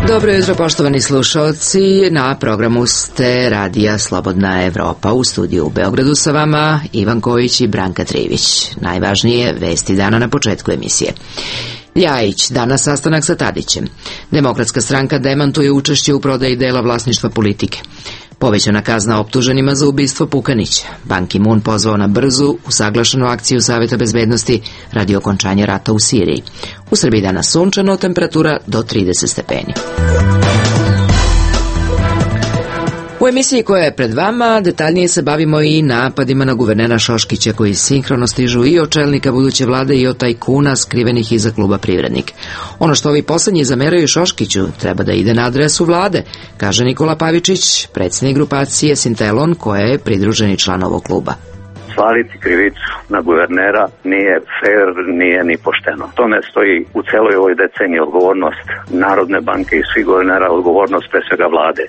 Dobro jutro, poštovani slušalci. Na programu ste Radija Slobodna Evropa. U studiju u Beogradu sa vama Ivan Kojić i Branka Trivić. Najvažnije vesti dana na početku emisije. Ljajić, danas sastanak sa Tadićem. Demokratska stranka demantuje učešće u prodaji dela vlasništva Politike. Povećana kazna optuženima za ubistvo Pukanića. Ban Ki-moon pozvao na brzu, usaglašenu akciju Saveta bezbednosti radi okončanja rata u Siriji. U Srbiji danas sunčano, temperatura do 30 stepeni. U emisiji koja je pred vama detaljnije se bavimo i napadima na guvernera Šoškića koji sinhrono stižu i od čelnika buduće vlade i od tajkuna skrivenih iza kluba Privrednik. Ono što ovi poslednji zameraju Šoškiću treba da ide na adresu vlade, kaže Nikola Pavičić, predsjednik grupacije Sintelon koja je pridruženi član ovog kluba. Svaliti krivicu na guvernera nije fair, nije ni pošteno. To ne stoji u celoj ovoj deceniji. Odgovornost Narodne banke i svih guvernera, odgovornost pre svega vlade.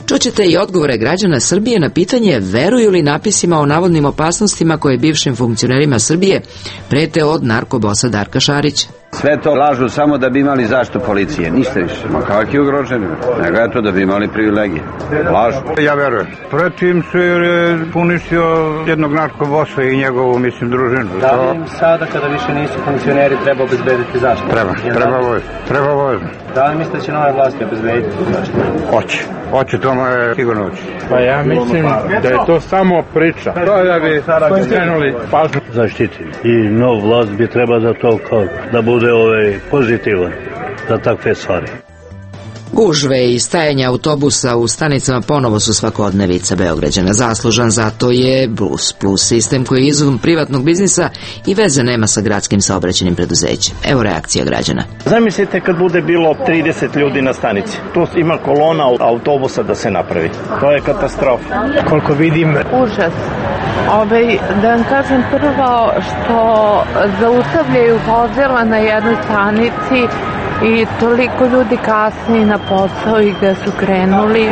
Čućete i odgovore građana Srbije na pitanje veruju li napisima o navodnim opasnostima koje bivšim funkcionerima Srbije prete od narkobosa Darka Šarića. Sve to lažu samo da bi imali zaštitu policije, ništa više. Ma kakvi ugroženi, nego je to da bi imali privilegije. Lažu. Ja verujem. Pretim se je puništio jednog narkobosa i njegovu, družinu. Da li im sada, kada više nisu funkcioneri, treba obezbediti zaštitu? Treba vojno. Da li mislite da će nove vlasti obezbediti zaštitu? Hoće, to je sigurno hoće. Pa ja mislim da je to samo priča. To da bi krenuli pažnju zaštititi. I nov vlast bi treba da to kao da bude pozitivan za takve stvari. Gužve i stajanja autobusa u stanicama ponovo su svakodnevica Beograđana. Zaslužan za to je Bus Plus sistem koji je izum privatnog biznisa i veze nema sa gradskim saobraćajnim preduzećem. Evo reakcija građana. Zamislite kad bude bilo 30 ljudi na stanici. Tu ima kolona autobusa da se napravi. To je katastrofa. koliko vidim. Užas. Da vam kažem prvo što zaustavljaju vozila na jednoj stanici i toliko ljudi kasni na posao i gde su krenuli,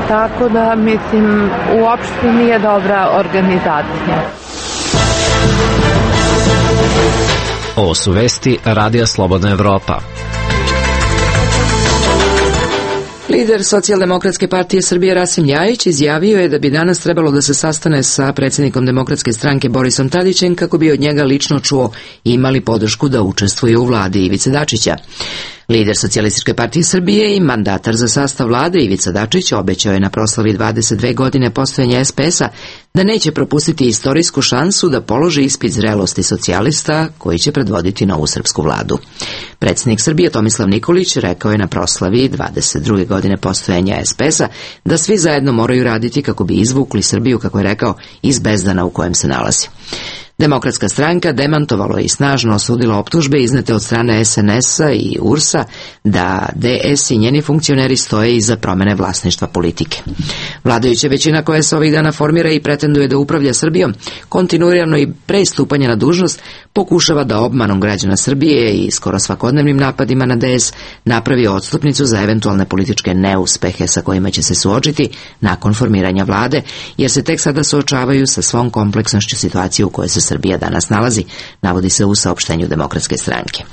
tako da mislim uopšte nije dobra organizacija. Ovo su vesti Radija Slobodna Evropa. Lider Socijaldemokratske partije Srbije Rasim Ljajić izjavio je da bi danas trebalo da se sastane sa predsjednikom Demokratske stranke Borisom Tadićem kako bi od njega lično čuo imali podršku da učestvuje u vladi Ivice Dačića. Lider Socijalističke partije Srbije i mandatar za sastav vlade Ivica Dačić obećao je na proslavi 22 godine postojanja SPS-a da neće propustiti istorijsku šansu da položi ispit zrelosti socijalista koji će predvoditi novu srpsku vladu. Predsjednik Srbije Tomislav Nikolić rekao je na proslavi 22. godine postojanja SPS-a da svi zajedno moraju raditi kako bi izvukli Srbiju, kako je rekao, iz bezdana u kojem se nalazi. Demokratska stranka demantovalo je i snažno osudila optužbe iznete od strane SNS-a i URS-a da DS i njeni funkcioneri stoje iza promene vlasništva Politike. Vladajuća većina koja se ovih dana formira i pretenduje da upravlja Srbijom, kontinuirano i pre stupanja na dužnost pokušava da obmanom građana Srbije i skoro svakodnevnim napadima na DS napravi odstupnicu za eventualne političke neuspehe sa kojima će se suočiti nakon formiranja vlade, jer se tek sada suočavaju sa svom kompleksnošću situacije u kojoj se Srbija danas nalazi, navodi se u saopštenju Demokratske stranke.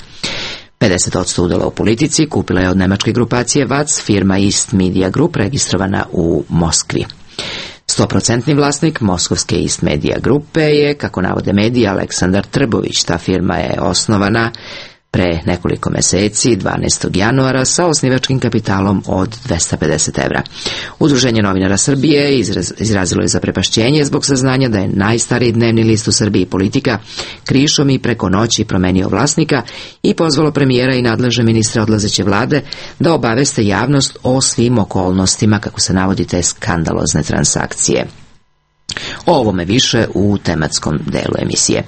50% udela u Politici kupila je od nemačke grupacije VAC firma East Media Group registrovana u Moskvi. 100% vlasnik moskovske East Media grupe je, kako navode mediji, Aleksandar Trbović. Ta firma je osnovana pre nekoliko meseci, 12. januara, sa osnivačkim kapitalom od 250 evra. Udruženje novinara Srbije izrazilo je zaprepašćenje zbog saznanja da je najstariji dnevni list u Srbiji Politika krišom i preko noći promenio vlasnika i pozvalo premijera i nadležne ministre odlazeće vlade da obaveste javnost o svim okolnostima, kako se navodi, te skandalozne transakcije. O ovome više u tematskom delu emisije.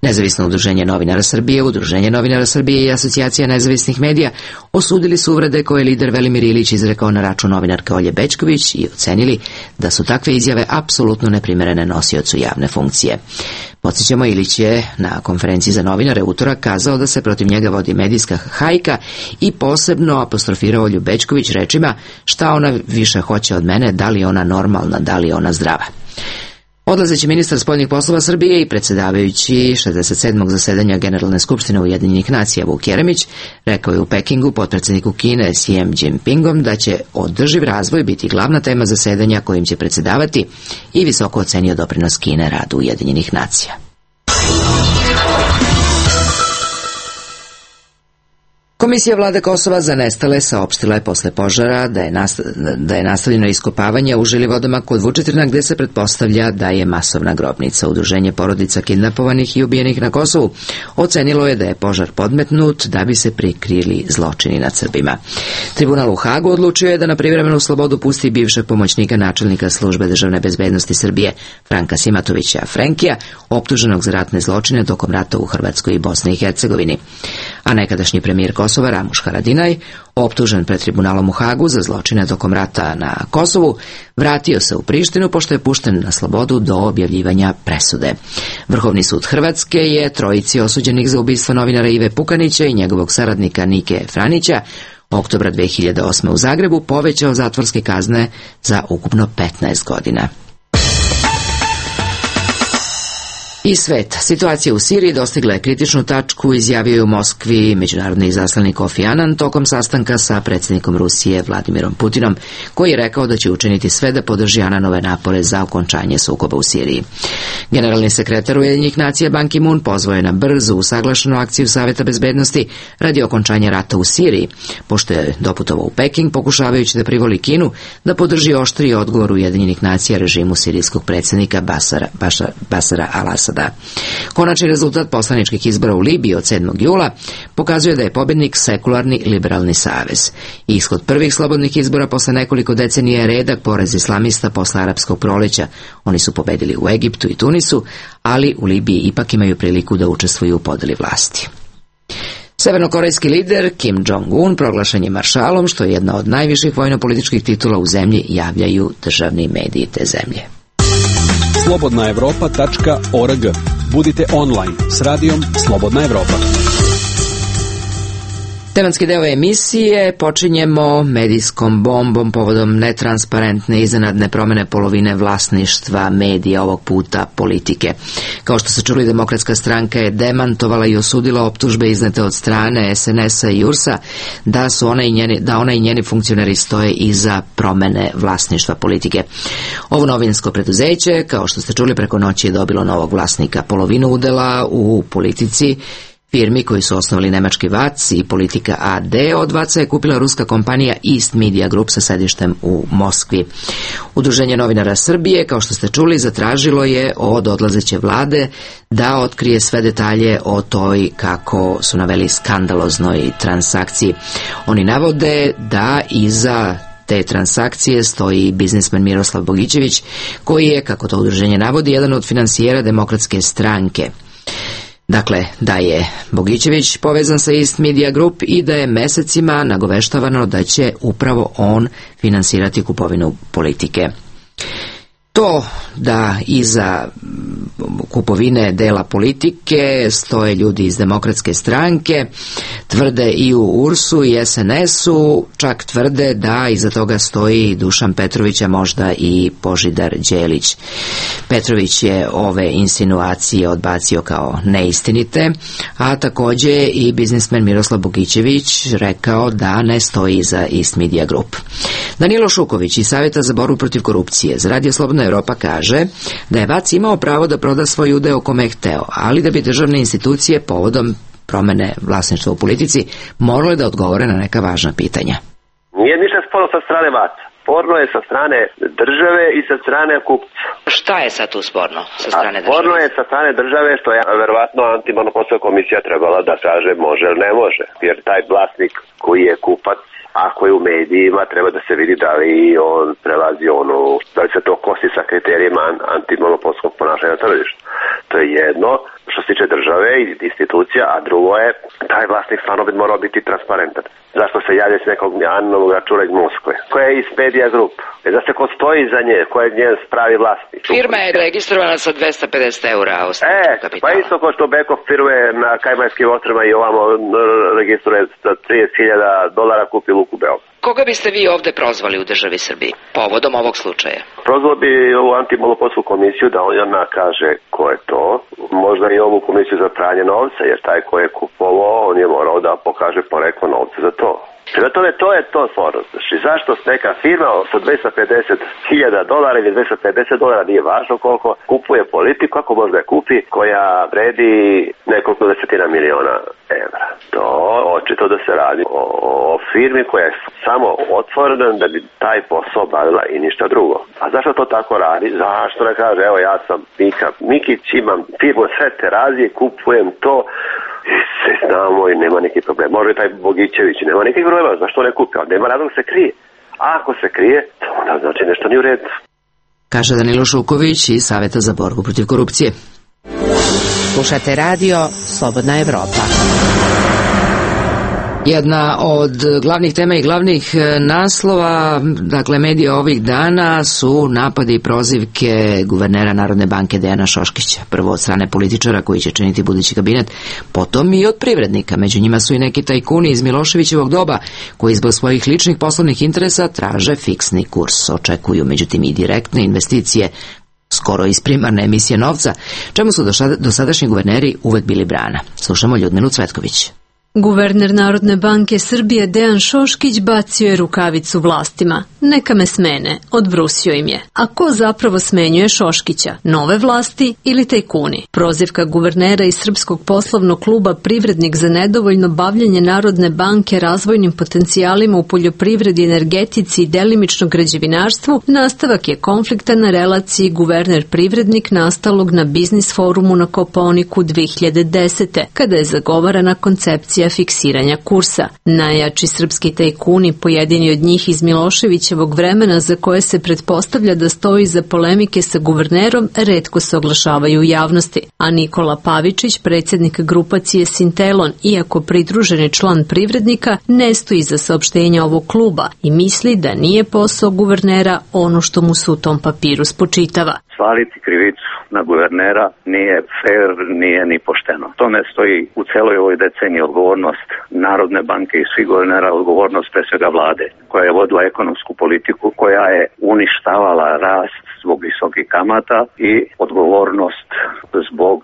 Nezavisno udruženje novinara Srbije, Udruženje novinara Srbije i Asocijacija nezavisnih medija osudili su uvrede koje je lider Velimir Ilić izrekao na račun novinarke Olje Bećković i ocenili da su takve izjave apsolutno neprimerene nosiocu javne funkcije. Podsjećamo, Ilić je na konferenciji za novinare utorak kazao da se protiv njega vodi medijska hajka i posebno apostrofirao Olju Bećković rečima: šta ona više hoće od mene, da li je ona normalna, da li je ona zdrava. Odlazeći ministar spoljnih poslova Srbije i predsjedavajući 67. zasedanja Generalne skupštine Ujedinjenih nacija Vuk Jeremić rekao je u Pekingu potpredsjedniku Kine Xijem Jinpingom da će održiv razvoj biti glavna tema zasedanja kojim će predsjedavati i visoko ocenio doprinos Kine radu Ujedinjenih nacija. Komisija vlade Kosova za nestale saopštila je posle požara da je nastavljeno iskopavanje u Žilivodama kod Vučitrna gde se pretpostavlja da je masovna grobnica. Udruženje porodica kidnapovanih i ubijenih na Kosovu ocenilo je da je požar podmetnut da bi se prikrili zločini nad Srbima. Tribunal u Hagu odlučio je da na privremenu slobodu pusti bivšeg pomoćnika načelnika službe državne bezbednosti Srbije Franka Simatovića Frenkija, optuženog za ratne zločine tokom rata u Hrvatskoj i Bosni i Hercegovini. A nekadašnji premijer Kosova Ramuš Haradinaj, optužen pred tribunalom u Hagu za zločine tokom rata na Kosovu, vratio se u Prištinu pošto je pušten na slobodu do objavljivanja presude. Vrhovni sud Hrvatske je trojici osuđenih za ubistvo novinara Ive Pukanića i njegovog saradnika Nike Franića oktobra 2008. u Zagrebu povećao zatvorske kazne za ukupno 15 godina. I svet. Situacija u Siriji dostigla je kritičnu tačku, izjavio je u Moskvi međunarodni izaslanik Kofi Annan tokom sastanka sa predsjednikom Rusije Vladimirom Putinom, koji je rekao da će učiniti sve da podrži Annanove napore za okončanje sukoba u Siriji. Generalni sekretar Ujedinjenih nacija Ban Ki-moon pozvao je na brzu usaglašenu akciju Saveta bezbednosti radi okončanja rata u Siriji, pošto je doputovao u Peking pokušavajući da privoli Kinu da podrži oštriji odgovor Ujedinjenih nacija režimu sirijskog predsjednika Basara al-Asada. Konačni rezultat poslaničkih izbora u Libiji od 7. jula pokazuje da je pobjednik sekularni liberalni savez. Ishod prvih slobodnih izbora posle nekoliko decenija je redak poraz islamista posle arapskog proleća. Oni su pobedili u Egiptu i Tunisu, ali u Libiji ipak imaju priliku da učestvuju u podeli vlasti. Severnokorejski lider Kim Jong-un proglašen je maršalom, što je jedna od najviših vojno-političkih titula u zemlji, javljaju državni mediji te zemlje. slobodnaevropa.org. Budite online s radijom Slobodna Evropa. Tematski deo emisije počinjemo medijskom bombom povodom netransparentne iznenadne promene polovine vlasništva medija, ovog puta politike. Kao što se čuli, Demokratska stranka je demantovala i osudila optužbe iznete od strane SNS-a i URS-a da ona i njeni funkcioneri stoje iza promene vlasništva politike. Ovo novinsko preduzeće, kao što ste čuli, preko noći je dobilo novog vlasnika. Polovinu udela u Politici, firmi koji su osnovali nemački VAC i Politika AD, od VAC-a je kupila ruska kompanija East Media Group sa sedištem u Moskvi. Udruženje novinara Srbije, kao što ste čuli, zatražilo je od odlazeće vlade da otkrije sve detalje o toj, kako su naveli, skandaloznoj transakciji. Oni navode da iza te transakcije stoji biznismen Miroslav Bogićević, koji je, kako to udruženje navodi, jedan od finansijera Demokratske stranke. Dakle, da je Bogićević povezan sa East Media Group i da je mesecima nagoveštavano da će upravo on finansirati kupovinu Politike. To da iza kupovine dela Politike stoje ljudi iz Demokratske stranke, tvrde i u URS-u i SNS-u, čak tvrde da iza toga stoji Dušan Petrović, a možda i Božidar Đelić. Petrović je ove insinuacije odbacio kao neistinite, a također i biznismen Miroslav Bogićević rekao da ne stoji iza East Media Group. Danilo Šuković iz Savjeta za borbu protiv korupcije za Radio Slobodna Evropa kaže da je VAC imao pravo da proda svoj udeo kome je hteo, ali da bi državne institucije povodom promene vlasništva u Politici morale da odgovore na neka važna pitanja. Nije ništa sporno sa strane VAC-a. Sporno je sa strane države i sa strane kupca. Šta je sad tu sporno sa strane države? Sporno je sa strane države što je verovatno antimonopolska komisija trebala da kaže može ili ne može. Jer taj vlasnik koji je kupac, ako je u medijima, treba da se vidi da li on prelazi da li se to kosi sa kriterijima antimonopolskog ponašanja na tržištu. To je jedno što se tiče države i institucija, a drugo je taj vlasnik stvarno bi morao biti transparentan. Zašto se javlja s nekog anonimnog računa iz Moskve? Koja je iz Media Group? Da se ko stoji za nje, koja je njen pravi vlasnik? Firma je registrovana sa 250 eura osnovnog kapitala. Pa isto kao što Beko firme na Kajmanskim ostrvima i ovamo registruje sa $30,000 kupi Luku Beograd. Koga biste vi ovde prozvali u državi Srbiji povodom ovog slučaja? Prozvao bi ovu antimonopolsku komisiju da ona kaže ko je to. Možda i ovu komisiju za pranje novca, jer taj ko je kupovao, on je morao da pokaže poreklo novca za to. Prema tome, to je to sporo. I zašto neka firma sa $250,000 ili $250 nije važno koliko kupuje politiku, ako može da kupi, koja vredi nekoliko desetina miliona evra. To očito da se radi o firmi koja je samo otvorena da bi taj posao bavila i ništa drugo. A zašto to tako radi? Zašto ne kaže, evo ja sam Mikić, imam firmu sve terazije, kupujem to, se znamo i nema neki problem. Može taj Bogićević, nema nekih problema, zašto ne kupi? Nema razlog se krije. A ako se krije, to onda znači nešto nije u redu. Kaže Danilo Šuković iz Saveta za borbu protiv korupcije. Slušate radio Slobodna Evropa. Jedna od glavnih tema i glavnih naslova, dakle, medija ovih dana su napadi i prozivke guvernera Narodne banke Dejana Šoškića. Prvo od strane političara koji će činiti budući kabinet, potom i od privrednika. Među njima su i neki tajkuni iz Miloševićevog doba koji zbog svojih ličnih poslovnih interesa traže fiksni kurs. Očekuju međutim i direktne investicije, skoro iz primarne emisije novca, čemu su dosadašnji guverneri uvek bili brana. Slušamo Ljudmilu Cvetković. Guverner Narodne banke Srbije Dejan Šoškić bacio je rukavicu vlastima. Neka me smene, odbrusio im je. A ko zapravo smenjuje Šoškića? Nove vlasti ili tajkuni? Prozivka guvernera iz Srpskog poslovnog kluba Privrednik za nedovoljno bavljenje Narodne banke razvojnim potencijalima u poljoprivredi, energetici i delimično građevinarstvu nastavak je konflikta na relaciji guverner-privrednik nastalog na biznis forumu na Kopaoniku 2010. kada je zagovarana koncepcija fiksiranja kursa. Najjači srpski tajkuni, pojedini od njih iz Miloševićevog vremena za koje se pretpostavlja da stoji za polemike sa guvernerom, retko se oglašavaju u javnosti. A Nikola Pavičić, predsjednik grupacije Sintelon, iako pridruženi član Privrednika, ne stoji za saopštenja ovog kluba i misli da nije posao guvernera ono što mu se u tom papiru spočitava. Svaliti krivicu na guvernera nije fair, nije ni pošteno. To ne stoji u celoj ovoj deceniji. Odgovornost Narodne banke i svih guvernera, odgovornost pre svega vlade koja je vodila ekonomsku politiku, koja je uništavala rast zbog visokih kamata i odgovornost zbog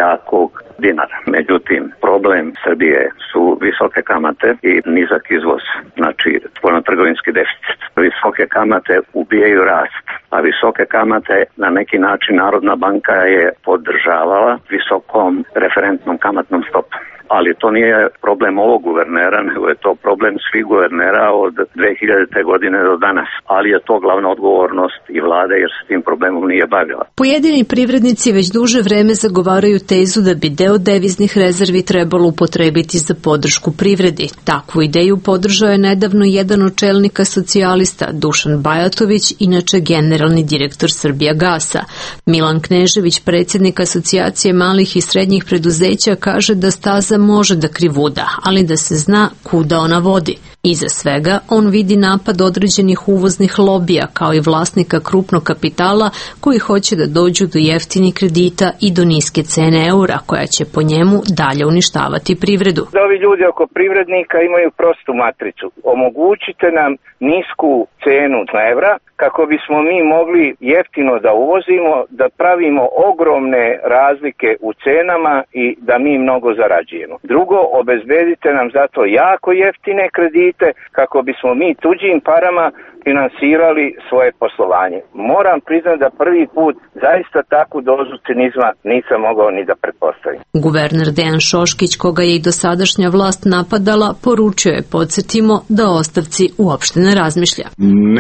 jakog dinara. Međutim, problem Srbije su visoke kamate i nizak izvoz, znači spoljnotrgovinski deficit. Visoke kamate ubijaju rast, a visoke kamate na neki način Narodna banka je podržavala visokom referentnom kamatnom stopom. Ali to nije problem ovog guvernera, nego je to problem svih guvernera od 2000. godine do danas. Ali je to glavna odgovornost i vlade jer se tim problemom nije bavila. Pojedini privrednici već duže vreme zagovaraju tezu da bi deo deviznih rezervi trebalo upotrebiti za podršku privredi. Takvu ideju podržao je nedavno jedan od čelnika socijalista, Dušan Bajatović, inače generalni direktor Srbijagasa. Milan Knežević, predsjednik Asocijacije malih i srednjih preduzeća, kaže da staza može da krivuda, ali da se zna kuda ona vodi. Iza svega on vidi napad određenih uvoznih lobija kao i vlasnika krupnog kapitala koji hoće da dođu do jeftinih kredita i do niske cene eura koja će po njemu dalje uništavati privredu. Da ovi ljudi oko privrednika imaju prostu matricu. Omogućite nam nisku cenu evra kako bismo mi mogli jeftino da uvozimo, da pravimo ogromne razlike u cenama i da mi mnogo zarađujemo. Drugo, obezbedite nam zato jako jeftine kredite kako bismo mi tuđim parama finansirali svoje poslovanje. Moram priznati da prvi put zaista takvu dozu cinizma nisam mogao ni da pretpostavim. Guverner Dejan Šoškić, koga je i dosadašnja vlast napadala, poručio je, podsjetimo, da o ostavci uopšte ne razmišlja.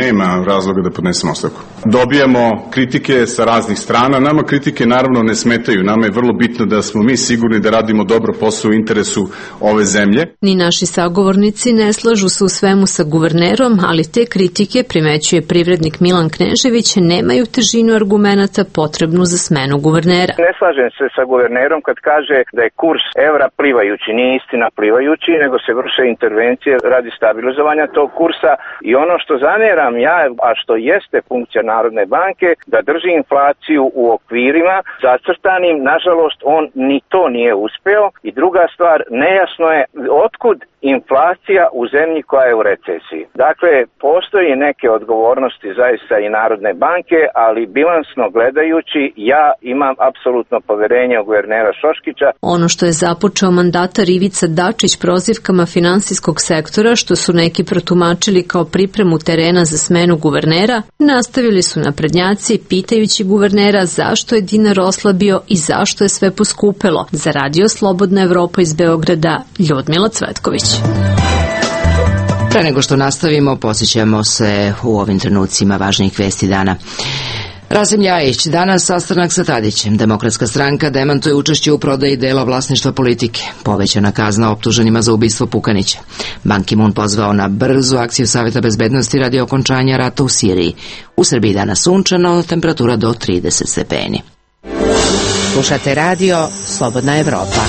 Nema razloga da podnesemo ostavku. Dobijamo kritike sa raznih strana. Nama kritike naravno ne smetaju. Nama je vrlo bitno da smo mi sigurni da radimo dobro posao u interesu ove zemlje. Ni naši sagovornici ne slažu se u svemu sa guvernerom, ali te kritike, primećuje privrednik Milan Knežević, nemaju težinu argumenata potrebnu za smenu guvernera. Ne slažem se sa guvernerom kad kaže da je kurs evra plivajući. Nije istina plivajući, nego se vrše intervencije radi stabilizovanja tog kursa i ono što zameram ja, a što jeste funkcija Narodne banke, da drži inflaciju u okvirima zacrtanim. Nažalost, on ni to nije uspeo i druga stvar, nejasno je otkud inflacija u zemlji koja je u recesiji. Dakle, postoji neke odgovornosti zaista i Narodne banke, ali bilansno gledajući ja imam apsolutno poverenje u guvernera Šoškića. Ono što je započeo mandatar Ivica Dačić prozivkama finansijskog sektora, što su neki protumačili kao pripremu terena za smenu guvernera, nastavili su naprednjaci pitajući guvernera zašto je dinar oslabio i zašto je sve poskupelo. Za Radio Slobodna Evropa iz Beograda, Ljudmila Cvetković. Pre nego što nastavimo, podsjećamo se u ovim trenucima važnijih vesti dana. Rasim Ljajić, danas sastanak sa Tadićem. Demokratska stranka demantuje učešće u prodaji dela vlasništva Politike. Povećana kazna optuženima za ubistvo Pukanića. Ban Ki-moon pozvao na brzu akciju Saveta bezbednosti radi okončanja rata u Siriji. U Srbiji danas sunčano, temperatura do 30 stepeni. Slušate radio Slobodna Evropa.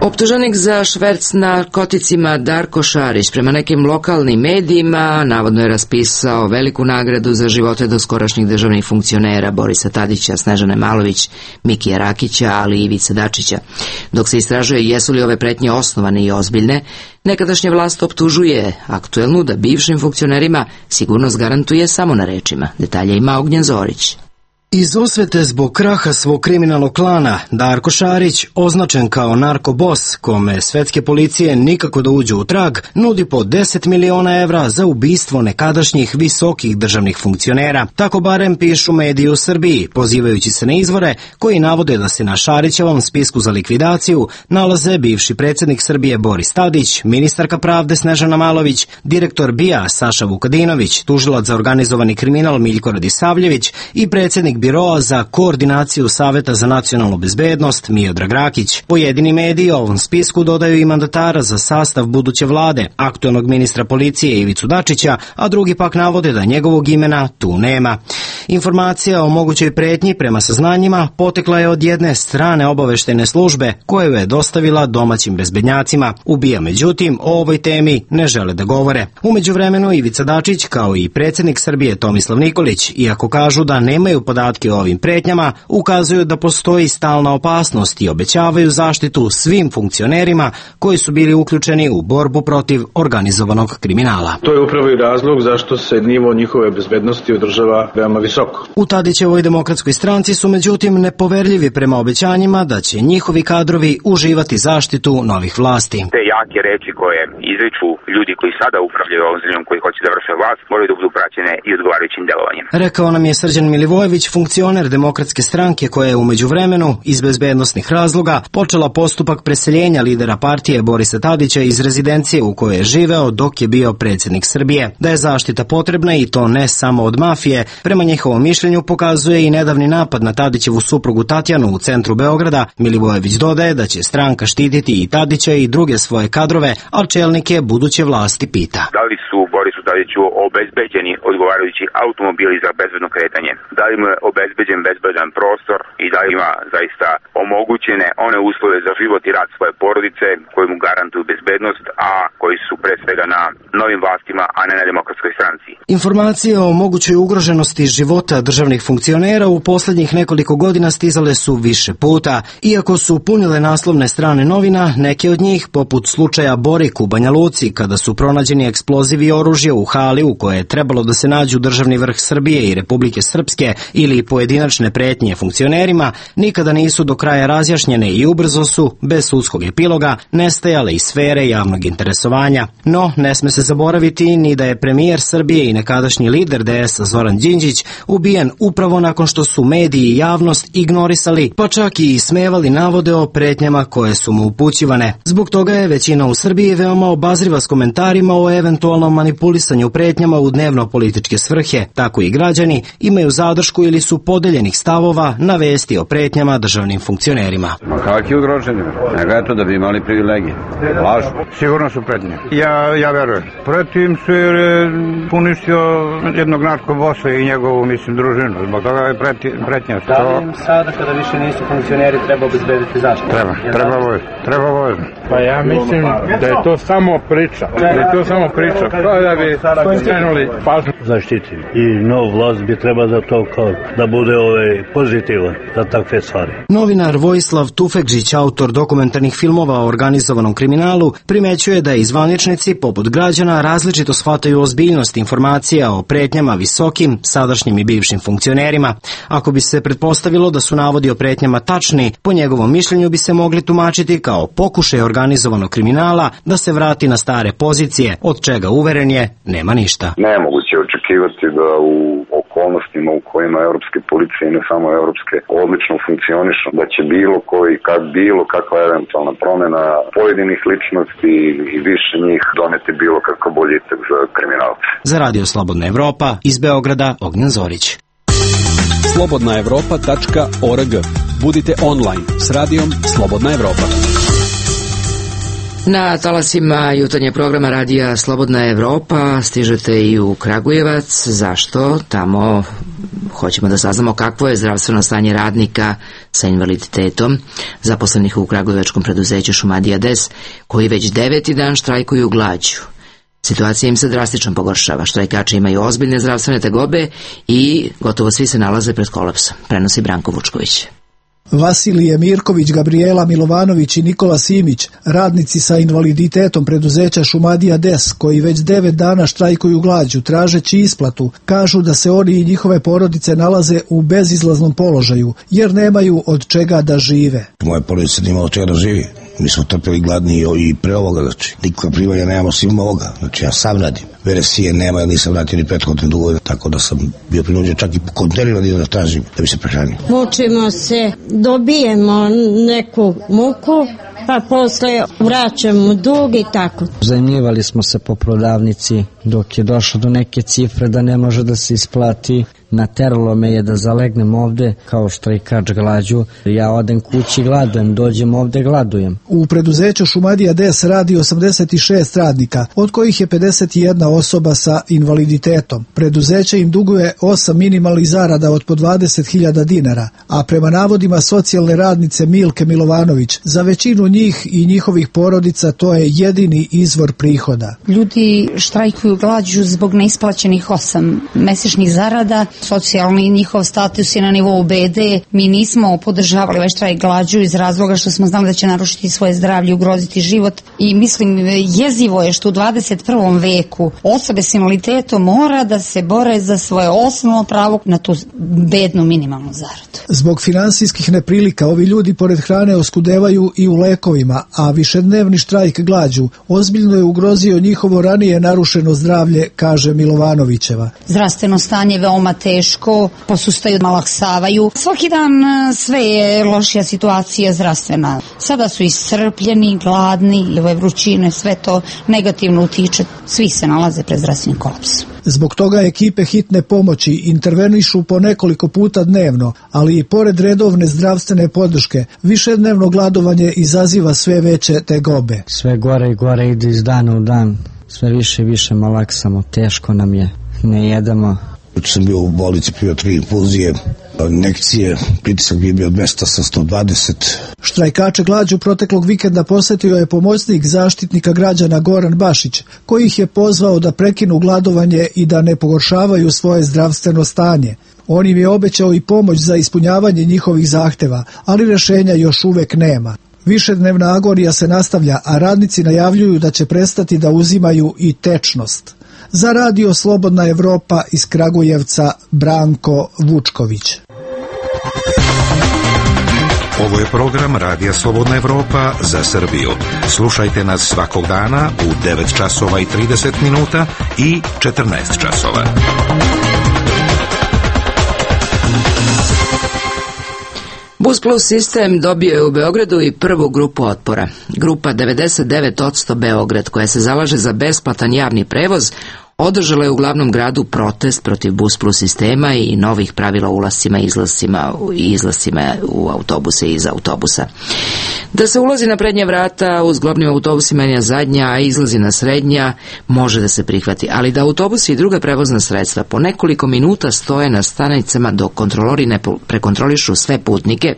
Optuženik za šverc narkoticima Darko Šarić prema nekim lokalnim medijima navodno je raspisao veliku nagradu za živote doskorašnjih državnih funkcionera Borisa Tadića, Snežane Malović, Mikija Rakića, ali i Ivice Dačića. Dok se istražuje jesu li ove pretnje osnovane i ozbiljne, nekadašnja vlast optužuje aktuelnu da bivšim funkcionerima sigurnost garantuje samo na rečima. Detalje ima Ognjen Zorić. Iz osvete zbog kraha svog kriminalnog klana, Darko Šarić, označen kao narkobos, kome svetske policije nikako da uđu u trag, nudi po 10 miliona evra za ubistvo nekadašnjih visokih državnih funkcionera. Tako barem pišu mediji u Srbiji, pozivajući se na izvore koji navode da se na Šarićevom spisku za likvidaciju nalaze bivši predsjednik Srbije Boris Tadić, ministarka pravde Snežana Malović, direktor BIA Saša Vukadinović, tužilac za organizovani kriminal Miljko Radisavljević i predsjednik Biroa za koordinaciju Saveta za nacionalnu bezbednost Miodrag Rakić. Pojedini mediji ovom spisku dodaju i mandatara za sastav buduće vlade, aktuelnog ministra policije Ivicu Dačića, a drugi pak navode da njegovog imena tu nema. Informacija o mogućoj pretnji prema saznanjima potekla je od jedne strane obaveštajne službe koju je dostavila domaćim bezbednjacima. U BIA međutim o ovoj temi ne žele da govore. U međuvremenu Ivica Dačić kao i predsjednik Srbije Tomislav Nikolić, iako kažu da nemaju podatke o ovim pretnjama, ukazuju da postoji stalna opasnost i obećavaju zaštitu svim funkcionerima koji su bili uključeni u borbu protiv organizovanog kriminala. To je upravo i razlog zašto se nivo njihove bezbednosti održava veoma visoko. U Tadićevoj demokratskoj stranci su međutim nepoverljivi prema obećanjima da će njihovi kadrovi uživati zaštitu novih vlasti. Te jake reči koje izriču ljudi koji sada upravljaju ovom zemljom, koji hoće da vrše vlast, moraju da budu praćene i odgovarajućim delovanjem. Rekao nam je Srđan Milivojević, funkcioner demokratske stranke koja je u međuvremenu iz bezbednosnih razloga počela postupak preseljenja lidera partije Borisa Tadića iz rezidencije u kojoj je živeo dok je bio predsjednik Srbije. Da je zaštita potrebna i to ne samo od mafije, prema njihovom mišljenju pokazuje i nedavni napad na Tadićevu suprugu Tatjanu u centru Beograda. Milivojević dodaje da će stranka štititi i Tadića i druge svoje kadrove, a čelnike buduće vlasti pita. Da li su Borisu Tadiću obezbeđeni odgovarajući automobili za bezbedno kretanje? Da li mu je obezbeđen bezbedan prostor i da li ima zaista omogućene one uslove za život i rad svoje porodice koji mu garantuju bezbednost, a koji su pre svega na novim vlastima, a ne na demokratskoj stranci. Informacije o mogućoj ugroženosti života državnih funkcionera u posljednjih nekoliko godina stizale su više puta. Iako su punile naslovne strane novina, neke od njih, poput slučaja Borik u Banja Luci, kada su pronađeni eksplozivi i oružje u hali u koje je trebalo da se nađu državni vrh Srbije i Republike Srpske ili pojedinačne pretnje funkcionerima, nikada nisu do kraja razjašnjene i ubrzo su, bez sudskog epiloga, nestajale iz sfere javnog interesovanja. No, ne sme se zaboraviti ni da je premijer Srbije i nekadašnji lider DS-a Zoran Đinđić ubijen upravo nakon što su mediji i javnost ignorisali, pa čak i ismevali navode o pretnjama koje su mu upućivane. Zbog toga je većina u Srbiji veoma obazriva s komentarima o eventualnom manipulisanju pretnjama u dnevno-političke svrhe. Tako i građani imaju zadršku ili su podeljenih stavova na vesti o pretnjama državnim funkcionerima. Ma kakvi ugroženi? Nego je to da bi imali privilegije. Lažu. Sigurno su pretnje. Ja verujem. Protiv su jer je puništio jednog narkobosa i njegovu, družinu. Zbog toga je pretnja. Da li im sada, kada više nisu funkcioneri, treba obezbediti zaštitu? Treba vojno. Pa ja mislim da je to samo priča. Kao da bi skrenuli pažnju. Zaštiti. I nov vlast bi treba za to kao da bude pozitivan za takve stvari. Novinar Vojislav Tufekžić, autor dokumentarnih filmova o organizovanom kriminalu, primećuje da zvaničnici poput građana različito shvataju ozbiljnost informacija o pretnjama visokim, sadašnjim i bivšim funkcionerima. Ako bi se pretpostavilo da su navodi o pretnjama tačni, po njegovom mišljenju bi se mogli tumačiti kao pokušaj organizovanog kriminala da se vrati na stare pozicije, od čega uveren je nema ništa. Nemoguće očekivati da u okolnostima u kojima europske policije i ne samo europske odlično funkcionišu, da će bilo kakva eventualna promjena pojedinih ličnosti i više njih doneti bilo kakav boljitak za kriminalce. Za Radio Slobodna Evropa, iz Beograda, Ognjen Zorić. slobodnaevropa.org. Budite online s radijom Slobodna Evropa. Na talasima jutarnjeg programa radija Slobodna Evropa stižete i u Kragujevac. Zašto? Tamo hoćemo da saznamo kakvo je zdravstveno stanje radnika sa invaliditetom zaposlenih u kragujevačkom preduzeću Šumadija Des, koji već 9. dan štrajkuju glađu. Situacija im se drastično pogoršava. Štrajkači imaju ozbiljne zdravstvene tegobe i gotovo svi se nalaze pred kolapsom. Prenosi Branko Vučković. Vasilije Mirković, Gabriela Milovanović i Nikola Simić, radnici sa invaliditetom preduzeća Šumadija Des, koji već 9 dana štrajkuju glađu tražeći isplatu, kažu da se oni i njihove porodice nalaze u bezizlaznom položaju, jer nemaju od čega da žive. Moja porodica nema od čega da živi. Mi smo trpili gladni i pre ovoga, nikakva primanja nemamo svima ovoga, ja sam radim. Veresije nema, ja nisam vratio ni prethodne dugove, tako da sam bio prinuđen čak i po kontejnerima da tražim da bi se prehranio. Mučimo se, dobijemo neku muku, pa posle vraćamo dug i tako. Zajmljivali smo se po prodavnici dok je došlo do neke cifre da ne može da se isplati. Nateralo me je da zalegnem ovde kao štrajkač glađu. Ja odem kući, gladujem, dođem ovde, gladujem. U preduzeću Šumadija Des radi 86 radnika, od kojih je 51 osoba sa invaliditetom. Preduzeće im duguje 8 minimalnih zarada od po 20.000 dinara, a prema navodima socijalne radnice Milke Milovanović, za većinu njih i njihovih porodica to je jedini izvor prihoda. Ljudi štrajkuju glađu zbog neisplaćenih 8 mesečnih zarada. Socijalni njihov status je na nivou BD. Mi nismo podržavali ovaj štrajk glađu iz razloga što smo znali da će narušiti svoje zdravlje, ugroziti život. I mislim, jezivo je što u 21. veku osobe s invaliditetom mora da se bore za svoje osnovno pravo na tu bednu minimalnu zaradu. Zbog finansijskih neprilika ovi ljudi pored hrane oskudevaju i u lekovima, a višednevni štrajk glađu ozbiljno je ugrozio njihovo ranije narušeno zdravlje, kaže Milovanovićeva. Zdravstveno stanje veoma teško, posustaju, malaksavaju. Svaki dan sve je lošija situacija zdravstvena. Sada su iscrpljeni, gladni, ove vrućine, sve to negativno utiče. Svi se nalaze pred zdravstvenim kolapsom. Zbog toga ekipe hitne pomoći intervenišu po nekoliko puta dnevno, ali i pored redovne zdravstvene podrške, višednevno gladovanje izaziva sve veće tegobe. Sve gore i gore ide iz dana u dan, sve više i više malaksamo, teško nam je, ne jedemo. Sam bio u bolnici, pio 3 infuzije, injekcije, pritisak bi bio 200 sa 120. Štrajkače glađu proteklog vikenda posjetio je pomoćnik zaštitnika građana Goran Bašić, koji ih je pozvao da prekinu gladovanje i da ne pogoršavaju svoje zdravstveno stanje. On im je obećao i pomoć za ispunjavanje njihovih zahteva, ali rješenja još uvek nema. Višednevna agonija se nastavlja, a radnici najavljuju da će prestati da uzimaju i tečnost. Za Radio Slobodna Evropa iz Kragujevca, Branko Vučković. Ovo je program Radija Slobodna Evropa za Srbiju. Slušajte nas svakog dana u 9 časova i 30 minuta i 14 časova. Bus Plus sistem dobio je u Beogradu i prvu grupu otpora. Grupa 99% Beograd, koja se zalaže za besplatan javni prevoz, održala je u glavnom gradu protest protiv Bus Plus sistema i novih pravila o ulascima i izlascima u autobuse i iz autobusa. Da se ulazi na prednja vrata u zglobnim autobusima na zadnja, a izlazi na srednja, može da se prihvati, ali da autobusi i druga prevozna sredstva po nekoliko minuta stoje na stanicama dok kontrolori ne prekontrolišu sve putnike,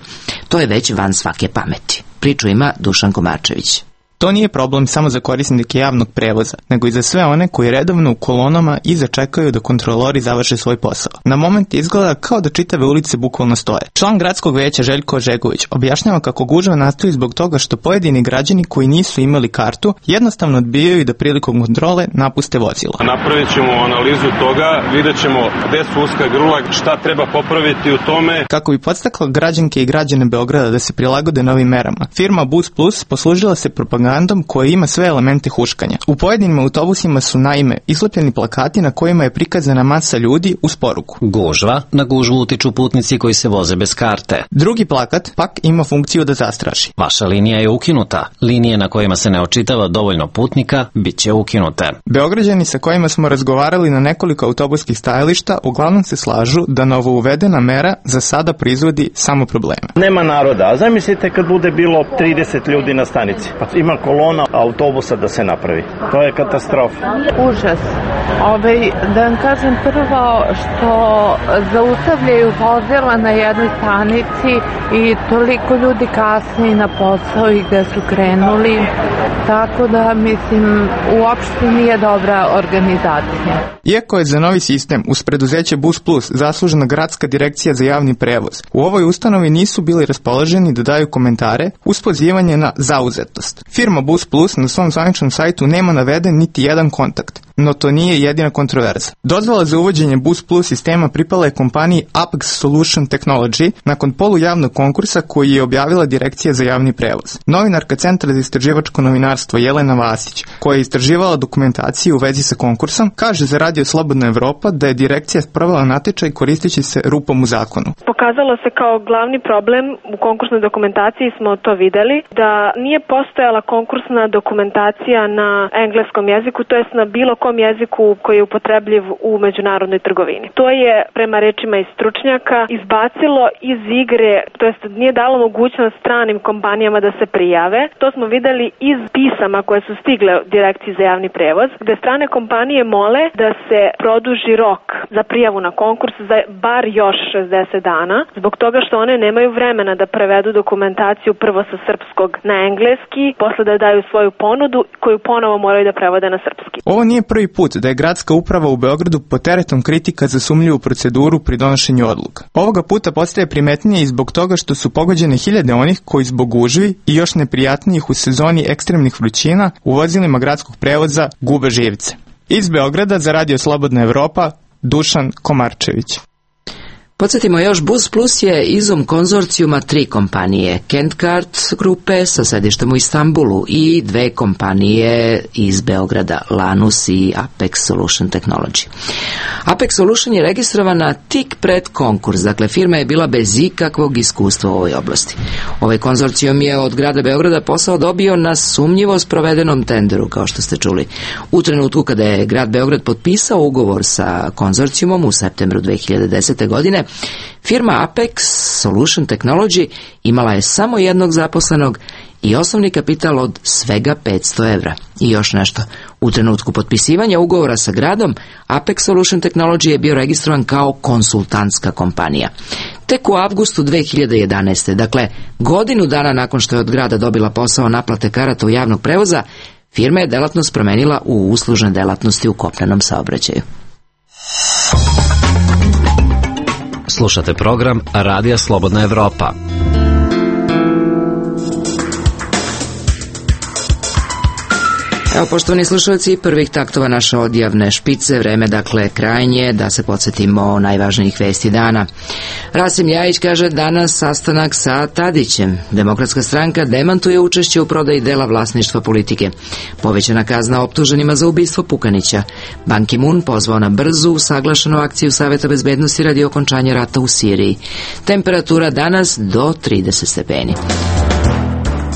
to je već van svake pameti. Priču ima Dušan Komarčević. To nije problem samo za korisnike javnog prevoza, nego i za sve one koji redovno u kolonama iza čekaju da kontrolori završe svoj posao. Na moment izgleda kao da čitave ulice bukvalno stoje. Član gradskog veća Željko Ožegović objašnjava kako gužva nastoji zbog toga što pojedini građani koji nisu imali kartu jednostavno odbijaju da prilikom kontrole napuste vozilo. Napravit ćemo analizu toga, vidjet ćemo gde su uska grla, šta treba popraviti u tome. Kako bi podstakla građanke i građane Beograda da se prilagode novim merama, firma Bus Plus poslužila se propagandom koja ima sve elemente huškanja. U pojedinim autobusima su naime islepljeni plakati na kojima je prikazana masa ljudi uz poruku. Gužva, na gužvu utiču putnici koji se voze bez karte. Drugi plakat pak ima funkciju da zastraši. Vaša linija je ukinuta. Linije na kojima se ne očitava dovoljno putnika bit će ukinute. Beograđani sa kojima smo razgovarali na nekoliko autobuskih stajališta uglavnom se slažu da novo uvedena mera za sada proizvodi samo probleme. Nema naroda, a zamislite kad bude bilo 30 ljudi na stanici, pa ima kolona autobusa da se napravi. To je katastrofa. Užas. Da vam kažem prvo što zaustavljaju vozila na jednoj stanici i toliko ljudi kasni na posao i gde su krenuli. Tako da, mislim, uopšte nije dobra organizacija. Iako je za novi sistem uz preduzeće Bus Plus zaslužena Gradska direkcija za javni prevoz, u ovoj ustanovi nisu bili raspoloženi da daju komentare uz pozivanje na zauzetost. Firma Bus Plus na svom zvaničnom sajtu nema naveden niti jedan kontakt, no to nije jedina kontroverza. Dozvola za uvođenje Bus Plus sistema pripala je kompaniji Apex Solution Technology nakon polujavnog konkursa koji je objavila Direkcija za javni prevoz. Novinarka Centra za istraživačko novinarstvo Jelena Vasić, koja je istraživala dokumentaciju u vezi sa konkursom, kaže za Radio Slobodna Evropa da je direkcija sprovela natječaj koristeći se rupom u zakonu. Pokazalo se kao glavni problem u konkursnoj dokumentaciji, smo to videli, da nije postojala konkursna dokumentacija na engleskom jeziku, to jest na bilo kom jeziku koji je upotrebljiv u međunarodnoj trgovini. To je, prema rečima iz stručnjaka, izbacilo iz igre, to jest nije dalo mogućnost stranim kompanijama da se prijave. To smo videli iz pisama koje su stigle Direkciji za javni prevoz, gde strane kompanije mole da se produži rok za prijavu na konkurs za bar još 60 dana, zbog toga što one nemaju vremena da prevedu dokumentaciju prvo sa srpskog na engleski, posle da daju svoju ponudu koju ponovo moraju da prevode na srpski. Ovo nije prvi put da je gradska uprava u Beogradu pod teretom kritika za sumnjivu proceduru pri donošenju odluka. Ovoga puta postaje primetnije i zbog toga što su pogođene hiljade onih koji zbog gužvi i još neprijatnijih u sezoni ekstremnih vrućina u vozilima gradskog prevoza gube živce. Iz Beograda za Radio Slobodna Evropa, Dušan Komarčević. Podsjetimo još, Bus Plus je izum konzorcijuma 3 kompanije, Kent-Card grupe sa sedištem u Istanbulu i 2 kompanije iz Beograda, Lanus i Apex Solution Technology. Apex Solution je registrovana tik pred konkurs, dakle firma je bila bez ikakvog iskustva u ovoj oblasti. Ovaj konzorcijum je od grada Beograda posao dobio na sumnjivo sprovedenom tenderu, kao što ste čuli. U trenutku kada je grad Beograd potpisao ugovor sa konzorcijumom u septembru 2010. godine, firma Apex Solution Technology imala je samo jednog zaposlenog i osnovni kapital od svega 500 evra. I još nešto, u trenutku potpisivanja ugovora sa gradom, Apex Solution Technology je bio registrovan kao konsultantska kompanija. Tek u avgustu 2011. Dakle, godinu dana nakon što je od grada dobila posao naplate karata u javnog prevoza, firma je delatnost promenila u uslužne delatnosti u kopnenom saobraćaju. Slušate program Radija Slobodna Evropa. Evo, poštovani slušalci, prvih taktova naše odjavne špice, vreme dakle krajnje, da se podsjetimo najvažnijih vesti dana. Rasim Ljajić kaže danas sastanak sa Tadićem. Demokratska stranka demantuje učešće u prodaji dela vlasništva politike. Povećana kazna optuženima za ubistvo Pukanića. Ban Ki-moon pozvao na brzu, usaglašenu akciju Saveta bezbednosti radi okončanja rata u Siriji. Temperatura danas do 30 stepeni.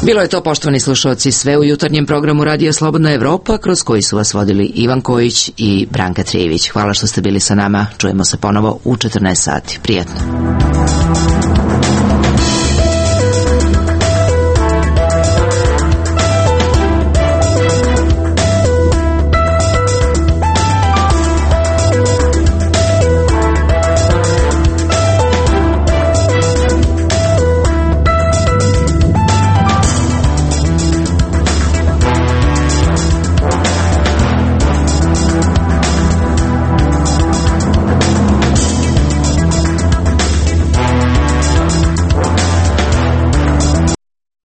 Bilo je to, poštovani slušalci, sve u jutarnjem programu Radija Slobodna Evropa, kroz koji su vas vodili Ivan Kojić i Branka Trijević. Hvala što ste bili sa nama. Čujemo se ponovo u 14 sati. Prijetno.